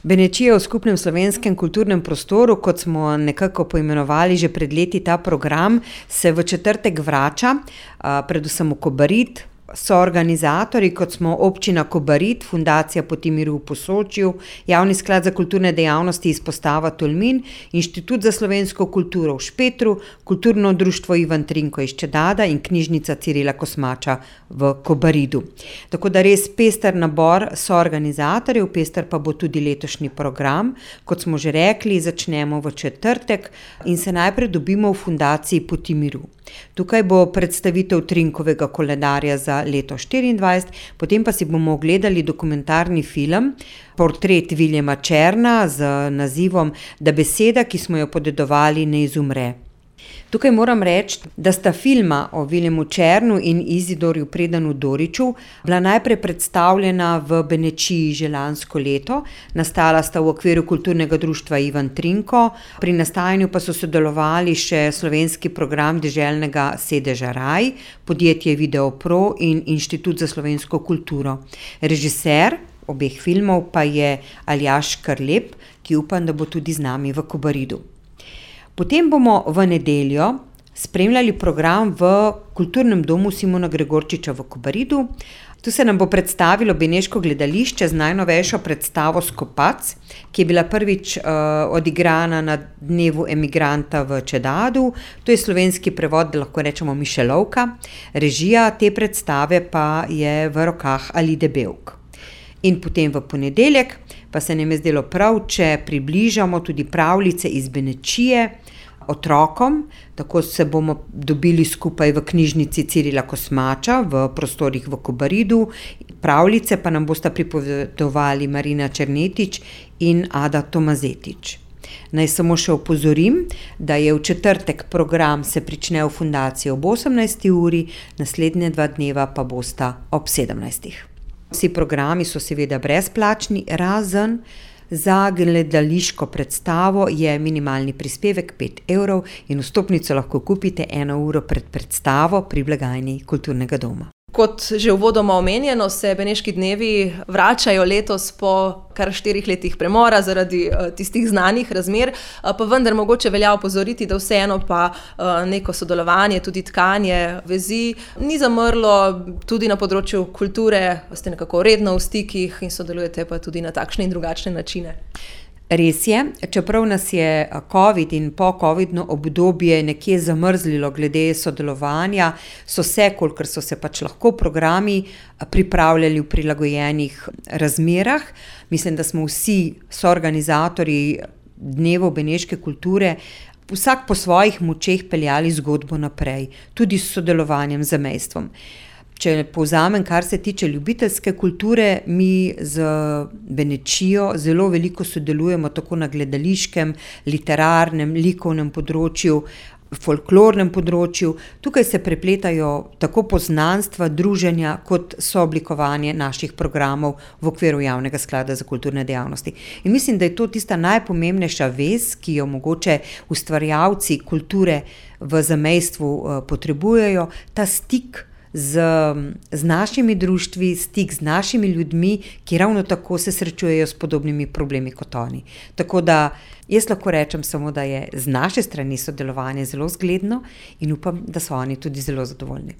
Benečija v skupnem slovenskem kulturnem prostoru, kot smo nekako poimenovali že pred leti ta program, se v četrtek vrača, predvsem v Kobarid. Soorganizatorji, kot smo Občina Kobarid, Fundacija Poti miru v Posočju, Javni sklad za kulturne dejavnosti Izpostava Tolmin, Inštitut za slovensko kulturo v Špetru, Kulturno društvo Ivan Trinko iz Čedada in Knjižnica Cirila Kosmača v Kobaridu. Tako da res pester nabor soorganizatorjev, pester pa bo tudi letošnji program. Kot smo že rekli, začnemo v četrtek in se najprej dobimo v Fundaciji Poti miru. Tukaj bo predstavitev Trinkovega koledarja za leto 2024, potem pa si bomo ogledali dokumentarni film, portret Viljama Černa z nazivom Da beseda, ki smo jo podedovali, ne izumre. Tukaj moram reči, da sta filma o Viljamu Černu in Izidorju Predanu Doriču bila najprej predstavljena v Benečiji že lansko leto, nastala sta v okviru Kulturnega društva Ivan Trinko, pri nastajanju pa so sodelovali še slovenski program deželnega sedeža Raj, podjetje Videopro in Inštitut za slovensko kulturo. Režiser obeh filmov pa je Aljaž Škrlep, ki upam, da bo tudi z nami v Kobaridu. Potem bomo v nedeljo spremljali program v Kulturnem domu Simona Gregorčiča v Kobaridu. Tu se nam bo predstavilo beneško gledališče z najnovejšo predstavo Skopac, ki je bila prvič odigrana na dnevu emigranta v Čedadu. To je slovenski prevod, da lahko rečemo Mišelovka. Režija te predstave pa je v rokah Alide Bevk. In potem v ponedeljek pa se nam je zdelo prav, če približamo tudi pravljice iz Benečije otrokom, tako se bomo dobili skupaj v Knjižnici Cirila Kosmača v prostorih v Kobaridu. Pravljice pa nam bosta pripovedovali Marina Černetič in Ada Tomazetič. Naj samo še opozorim, da je v četrtek program se prične v Fundaciji ob 18. uri, naslednje 2 dneva pa bosta ob 17. Vsi programi so seveda brezplačni, razen za gledališko predstavo je minimalni prispevek 5 evrov in vstopnico lahko kupite 1 uro pred predstavo pri blagajni Kulturnega doma. Kot že uvodoma omenjeno, se Beneški dnevi vračajo letos po kar 4 letih premora zaradi tistih znanih razmer, pa vendar mogoče velja opozoriti, da vseeno pa neko sodelovanje, tudi tkanje vezi ni zamrlo, tudi na področju kulture ste nekako redno v stikih in sodelujete pa tudi na takšne in drugačne načine. Res je, čeprav nas je COVID in po-covidno obdobje nekje zamrzlilo glede sodelovanja, so se, kolikor so se pač lahko programi pripravljali v prilagojenih razmerah. Mislim, da smo vsi soorganizatorji dnevov beneške kulture vsak po svojih močeh peljali zgodbo naprej, tudi s sodelovanjem z zamejstvom. Če povzamem, kar se tiče ljubiteljske kulture, mi z Benečijo zelo veliko sodelujemo tako na gledališkem, literarnem, likovnem področju, folklornem področju. Tukaj se prepletajo tako poznanstva, druženja kot sooblikovanje naših programov v okviru Javnega sklada za kulturne dejavnosti. In mislim, da je to tista najpomembnejša vez, ki jo mogoče ustvarjalci kulture v zamejstvu potrebujejo, ta stik z našimi društvi, stik z našimi ljudmi, ki ravno tako se srečujejo s podobnimi problemi kot oni. Tako da jaz lahko rečem samo, da je z naše strani sodelovanje zelo zgledno in upam, da so oni tudi zelo zadovoljni.